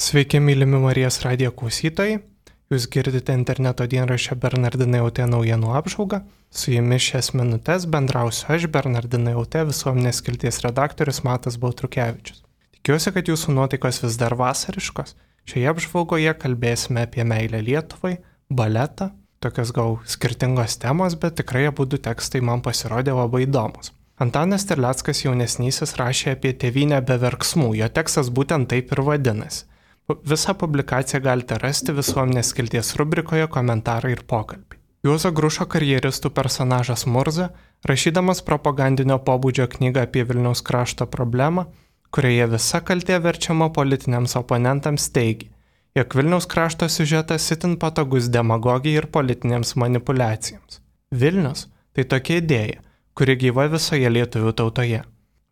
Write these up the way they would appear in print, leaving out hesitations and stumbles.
Sveiki, mylimi Marijos radijo klausytojai. Jūs girdite interneto dienraščio Bernardinai LT naujienų apžvalgą. Su jumis šias minutės bendrausiu aš, Bernardinai LT visuomenės skilties redaktorius Matas Baltrukevičius. Tikiuosi, kad jūsų nuotaikos vis dar vasariškos. Šioje apžvalgoje kalbėsime apie meilę Lietuvai, baletą, tokios gal skirtingos temos, bet tikrai abudu tekstai man pasirodė labai įdomus. Antanas Terleckas jaunesnysis rašė apie tėvynę be verksmų, jo tekstas būtent taip ir vadinasi. Visą publikaciją galite rasti visuomenės skilties rubrikoje komentarai ir pokalbiai. Juozo Grušo karjeristų personažas Murza, rašydamas propagandinio pobūdžio knygą apie Vilniaus krašto problemą, kurioje visa kaltė verčiama politiniams oponentams, teigė, jog Vilniaus krašto siužetas itin patogus demagogijai ir politinėms manipuliacijoms. Vilnius – tai tokia idėja, kuri gyva visoje lietuvių tautoje.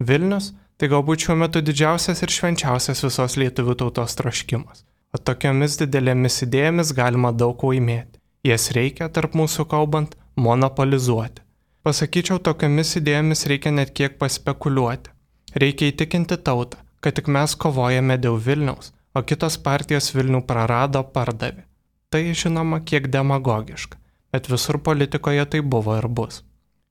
Vilnius – tai galbūt šiuo metu didžiausias ir švenčiausias visos lietuvių tautos troškimas. O tokiomis didelėmis idėjomis galima daug laimėti. Jas reikia, tarp mūsų kalbant, monopolizuoti. Pasakyčiau, tokiomis idėjomis reikia net kiek paspekuliuoti. Reikia įtikinti tautą, kad tik mes kovojame dėl Vilniaus, o kitos partijos Vilnių prarado, pardavė. Tai, žinoma, kiek demagogiška, bet visur politikoje tai buvo ir bus.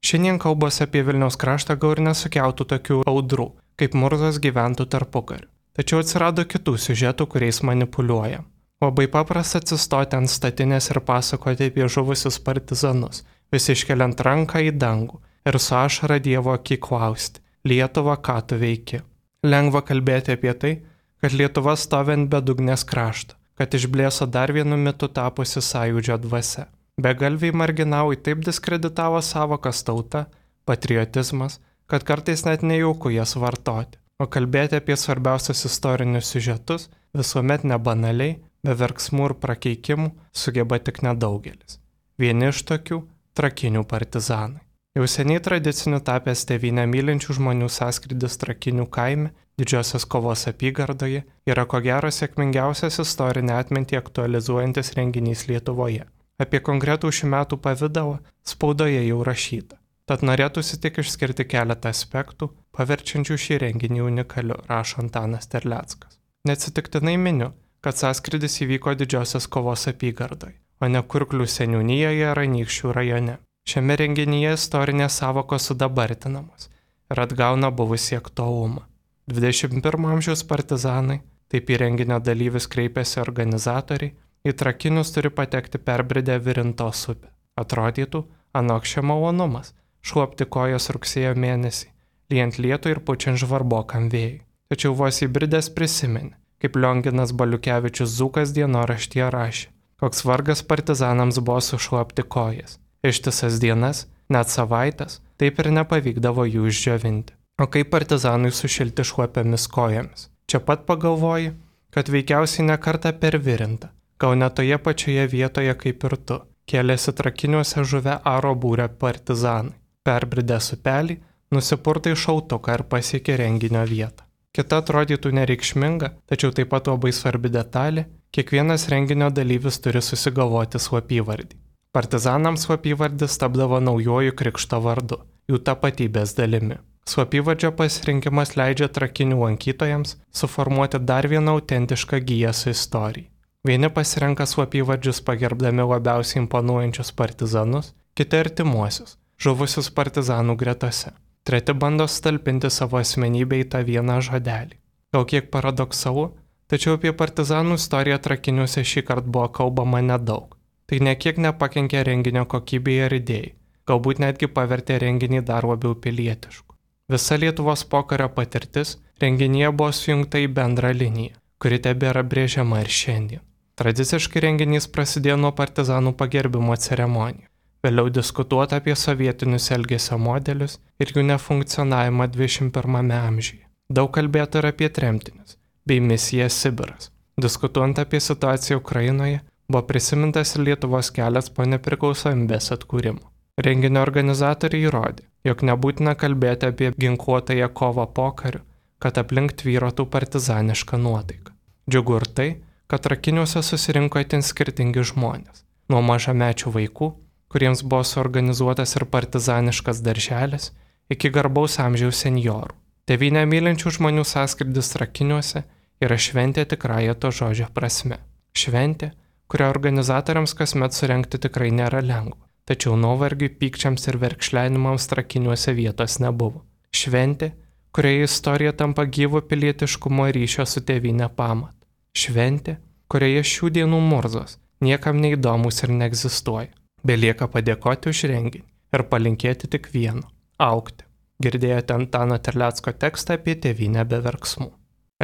Šiandien kalbos apie Vilniaus kraštą gal ir nesukeltų tokių audrų, kaip Murzos gyventų tarpukariu. Tačiau atsirado kitų siužetų, kuriais manipuliuoja. Labai paprasta atsistoti ant statinės ir pasakoti apie žuvusius partizanus, vis iškeliant ranką į dangų ir su ašara Dievo akį klausti, Lietuva, ką tu veiki? Lengva kalbėti apie tai, kad Lietuva stovi ant bedugnės krašto, kad išblėso dar vienu mitu tapusi sąjūdžio dvasia. Begalviai marginalai taip diskreditavo sąvokas tauta, patriotizmas, kad kartais net nejauku jas vartoti, o kalbėti apie svarbiausius istorinius siužetus visuomet nebanaliai, be verksmų ir prakeikimų sugeba tik nedaugelis. Vieni iš tokių – Trakinių partizanai. Jau seniai tradiciniu tapęs tėvynę mylinčių žmonių sąskrydis Trakinių kaime, Didžiosios kovos apygardoje, yra ko gero sėkmingiausias istorinę atmintį aktualizuojantis renginys Lietuvoje. Apie konkretų šių metų pavidalą spaudoje jau rašyta. Tad norėtųsi tik išskirti keletą aspektų, paverčiančių šį renginį unikaliu, rašo Antanas Terleckas. Neatsitiktinai miniu, kad sąskrydis įvyko Didžiosios kovos apygardoje, o ne Kurklių seniūnijoje ar Anykščių rajone. Šiame renginyje istorinės sąvokos sudabartinamos ir atgauna buvusį aktualumą. 21 amžiaus partizanai, taip į renginio dalyvius kreipėsi organizatoriai, į Trakinius turi patekti perbridę Virintos upę. Atrodytų, anokščia malonumas šluopti kojas rugsėjo mėnesį, lyjant lietų ir pučiant žvarbokam vėjui. Tačiau vos įbridęs prisiminė, kaip Lionginas Baliukevičius Dzūkas dienoraštyje rašė, koks vargas partizanams buvo sušluopti kojas. Ištisas dienas, net savaitės, taip ir nepavykdavo jų išdžiovinti. O kaip partizanui sušilti šluopiamis kojomis? Čia pat pagalvoji, kad veikiausiai nekartą per Virintą, gal net toje pačioje vietoje kaip ir tu, kėlėsi Trakiniuose žuvę aro būrio partizanai. Perbridęs upelį, nusipurtai šautuką ir pasiekė renginio vietą. Kita atrodytų nereikšminga, tačiau taip pat labai svarbi detalė, kiekvienas renginio dalyvis turi susigalvoti slapyvardį. Partizanams slapyvardis tapdavo naujuoju krikšto vardu, jų tapatybės dalimi. Slapyvardžio pasirinkimas leidžia Trakinių lankytojams suformuoti dar vieną autentišką giją su istorijai. Vieni pasirenka slapyvardžius pagerbdami labiausiai imponuojančius partizanus, kiti artimuosius, žuvusius partizanų gretose. Treti bando sutalpinti savo asmenybę į tą vieną žodelį. Gal kiek paradoksalu, tačiau apie partizanų istoriją Trakiniuose šį kartą buvo kalbama nedaug. Tai nekiek nepakenkė renginio kokybei ar idėjai, galbūt netgi pavertė renginį dar labiau pilietišku. Visa Lietuvos pokario patirtis renginyje buvo sujungta į bendrą liniją, kuri tebėra brėžiama ir šiandien. Tradiciškai renginys prasidėjo nuo partizanų pagerbimo ceremonijų. Vėliau diskutuota apie sovietinius elgesio modelius ir jų nefunkcionavimą 21 amžiuje. Daug kalbėta ir apie tremtinius, bei misiją Sibiras. Diskutuojant apie situaciją Ukrainoje, buvo prisimintas ir Lietuvos kelias po nepriklausomybės atkūrimo. Renginio organizatoriai įrodė, jog nebūtina kalbėti apie ginkluotąją kovą pokariu, kad aplink tvyrotų partizanišką nuotaiką. Džiugu ir tai, kad Trakiniuose susirinko itin skirtingi žmonės, nuo mažamečių vaikų, kuriems buvo suorganizuotas ir partizaniškas darželis, iki garbaus amžiaus senjorų. Tėvynę mylinčių žmonių sąskrydis Trakiniuose yra šventė tikrąja to žodžio prasme. Šventė, kurią organizatoriams kasmet surengti tikrai nėra lengva, tačiau nuovargiui, pykčiams ir verkšlenimams trakiniuose vietos nebuvo. Šventė, kurioje istorija tampa gyvo pilietiškumo ryšio su tėvynė pamat. Šventė, kurioje šių dienų murzos niekam neįdomus ir neegzistuoja. Belieka padėkoti už renginį ir palinkėti tik vieno – augti. Girdėjote Antano Terlecko tekstą apie tėvynę be verksmų.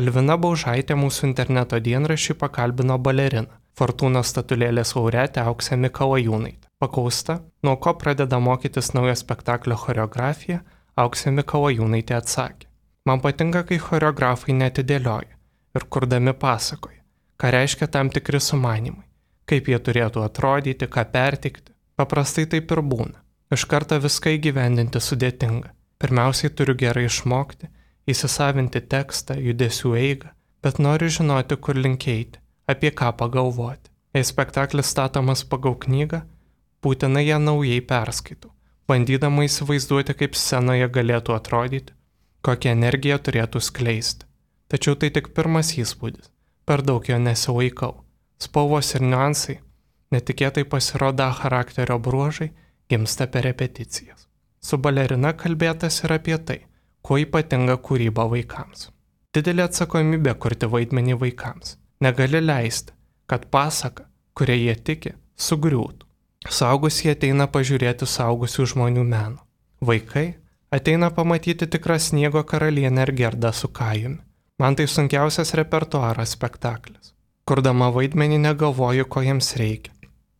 Elvina Baužaitė mūsų interneto dienraščiui pakalbino baleriną, Fortūnos statulėlės laureatę Auksę Mikalajūnaitę. Paklausta, nuo ko pradeda mokytis naujo spektaklio choreografiją, Auksė Mikalajūnaitė atsakė: man patinka, kai choreografai neatidėlioja ir kurdami pasakoja, ką reiškia tam tikri sumanymai, kaip jie turėtų atrodyti, ką perteikti. Paprastai taip ir būna. Iš karto viską įgyvendinti sudėtinga. Pirmiausiai turiu gerai išmokti, įsisavinti tekstą, judesių eigą, bet noriu žinoti, kur link eiti, apie ką pagalvoti. Jei spektaklis statomas pagal knygą, būtinai ją naujai perskaitau, bandydama įsivaizduoti, kaip scenoje galėtų atrodyti, kokią energiją turėtų skleisti. Tačiau tai tik pirmas įspūdis, per daug jo nesilaikau. Spalvos ir niuansai, netikėtai pasirodo charakterio bruožai, gimsta per repeticijas. Su balerina kalbėtas ir apie tai, kuo ypatinga kūryba vaikams. Didelė atsakomybė kurti vaidmenį vaikams. Negali leisti, kad pasaka, kuria jie tiki, sugriūtų. Suaugusieji ateina pažiūrėti suaugusių žmonių meno. Vaikai ateina pamatyti tikrą Sniego karalienę ir Gerdą su Kajumi. Man tai sunkiausias repertuaras spektaklis. Kurdama vaidmenį negalvoju, ko jiems reikia.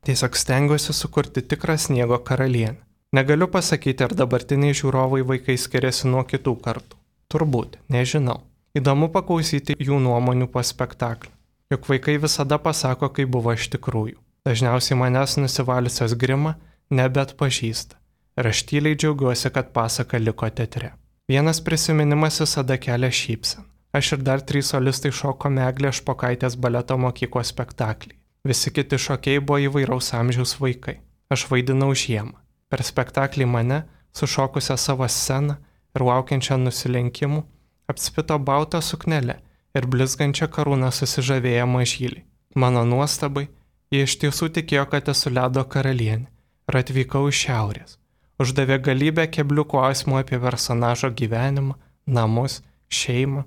Tiesiog stengiuosi sukurti tikrą Sniego karalienę. Negaliu pasakyti, ar dabartiniai žiūrovai vaikai skiriasi nuo kitų kartų. Turbūt, nežinau. Įdomu paklausyti jų nuomonių po spektaklį. Juk vaikai visada pasako, kaip buvo iš tikrųjų. Dažniausiai manęs nusivaliusios grimą nebeatpažįsta. Ir aš tyliai džiaugiuosi, kad pasaka liko teatre. Vienas prisiminimas visada kelia šypseną. Aš ir dar 3 solistai šokome Eglės Špokaitės baleto mokyklos spektaklį. Visi kiti šokėjai buvo įvairaus amžiaus vaikai. Aš vaidinau žiemą. Per spektaklį mane, sušokusią savo sceną ir laukiančią nusilenkimų, apspito baltą suknelę ir blizgančią karūną susižavėję mažyliai. Mano nuostabai, jie iš tiesų tikėjo, kad esu ledo karalienė ir atvykau iš šiaurės. Uždavė galybę keblių klausimų apie personažo gyvenimą, namus, šeimą.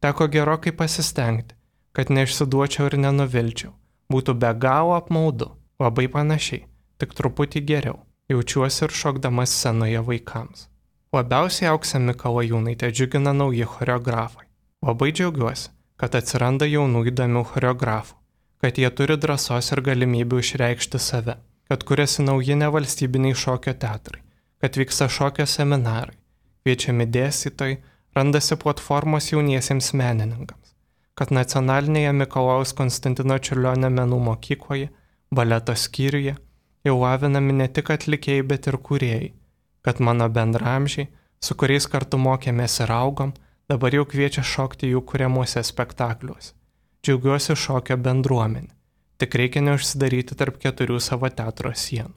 Teko gerokai pasistengti, kad neišsiduočiau ir nenuvilčiau. Būtų be galo apmaudu, labai panašiai, tik truputį geriau. Jaučiuosi ir šokdamas scenoje vaikams. Labiausiai Auksę Mikalajūnaitę džiugina nauji choreografai. Labai džiaugiuosi, kad atsiranda jaunų įdomių choreografų, kad jie turi drąsos ir galimybių išreikšti save, kad kuriasi nauji nevalstybiniai šokio teatrai, kad vyksta šokio seminarai, kviečiami dėstytojai, randasi platformos jauniesiems menininkams, kad nacionalinėje Mikalojaus Konstantino Čiurlionio menų mokykloje, baleto skyriuje, jau lavinami ne tik atlikėjai, bet ir kūrėjai, kad mano bendraamžiai, su kuriais kartu mokėmės ir augom, dabar jau kviečia šokti jų kuriamuose spektakliuose. Džiaugiuosi šokio bendruomenė, tik reikia neužsidaryti tarp 4 savo teatro sienų.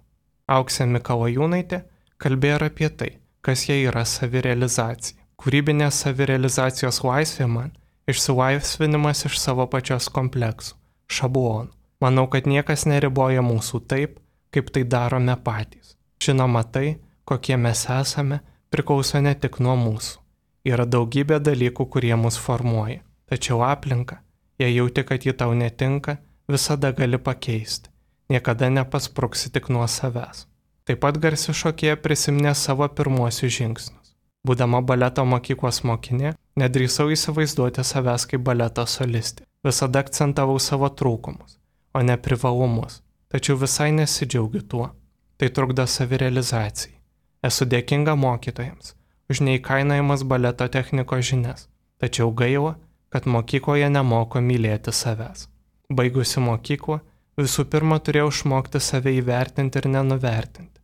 Auksė Mikalajūnaitė kalbėjo ir apie tai, kas jai yra savirealizacija. Kūrybinės savirealizacijos laisvė man išsilaisvinimas iš savo pačios kompleksų, šablonų. Manau, kad niekas neriboja mūsų taip, kaip tai darome patys. Žinoma, tai, kokie mes esame, priklauso ne tik nuo mūsų. Yra daugybė dalykų, kurie mus formuoja. Tačiau aplinka, jei jauti, kad ji tau netinka, visada gali pakeisti. Niekada nepaspruksi tik nuo savęs. Taip pat garsi šokėja prisiminė savo pirmuosius žingsnius. Būdama baleto mokyklos mokinė, nedrįsau įsivaizduoti savęs kaip baleto solistė. Visada akcentavau savo trūkumus, o ne privalumus. Tačiau visai nesidžiaugiu tuo. Tai trukdo savirealizacijai. Esu dėkinga mokytojams už neįkainojamas baleto technikos žinias. Tačiau gaila, kad mokykloje nemoko mylėti savęs. Baigusi mokyklą, visų pirma turėjau išmokti save įvertinti ir nenuvertinti,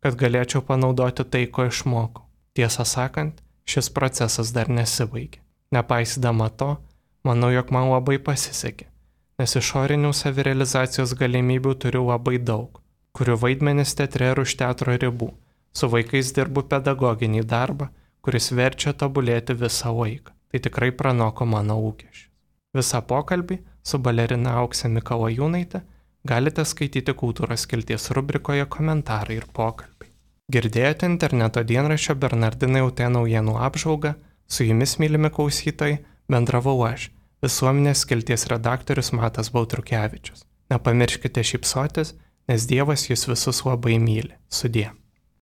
kad galėčiau panaudoti tai, ko išmokau. Tiesą sakant, šis procesas dar nesibaigė. Nepaisydama to, manau, jog man labai pasisekė, nes išorinių savirealizacijos galimybių turiu labai daug, kuriu vaidmenis teatre ir už teatro ribų, su vaikais dirbu pedagoginį darbą, kuris verčia tobulėti visą laiką. Tai tikrai pranoko mano lūkesčius. Visą pokalbį su balerina Aukse Mikalajūnaite galite skaityti kultūros skilties rubrikoje Komentarai ir pokalbiai. Girdėjote interneto dienraščio Bernardinai LT naujienų apžvalgą, su jumis, mylimi klausytojai, bendravau aš, visuomenės skilties redaktorius Matas Baltrukevičius. Nepamirškite šypsotis, nes Dievas jūs visus labai myli. Sudie.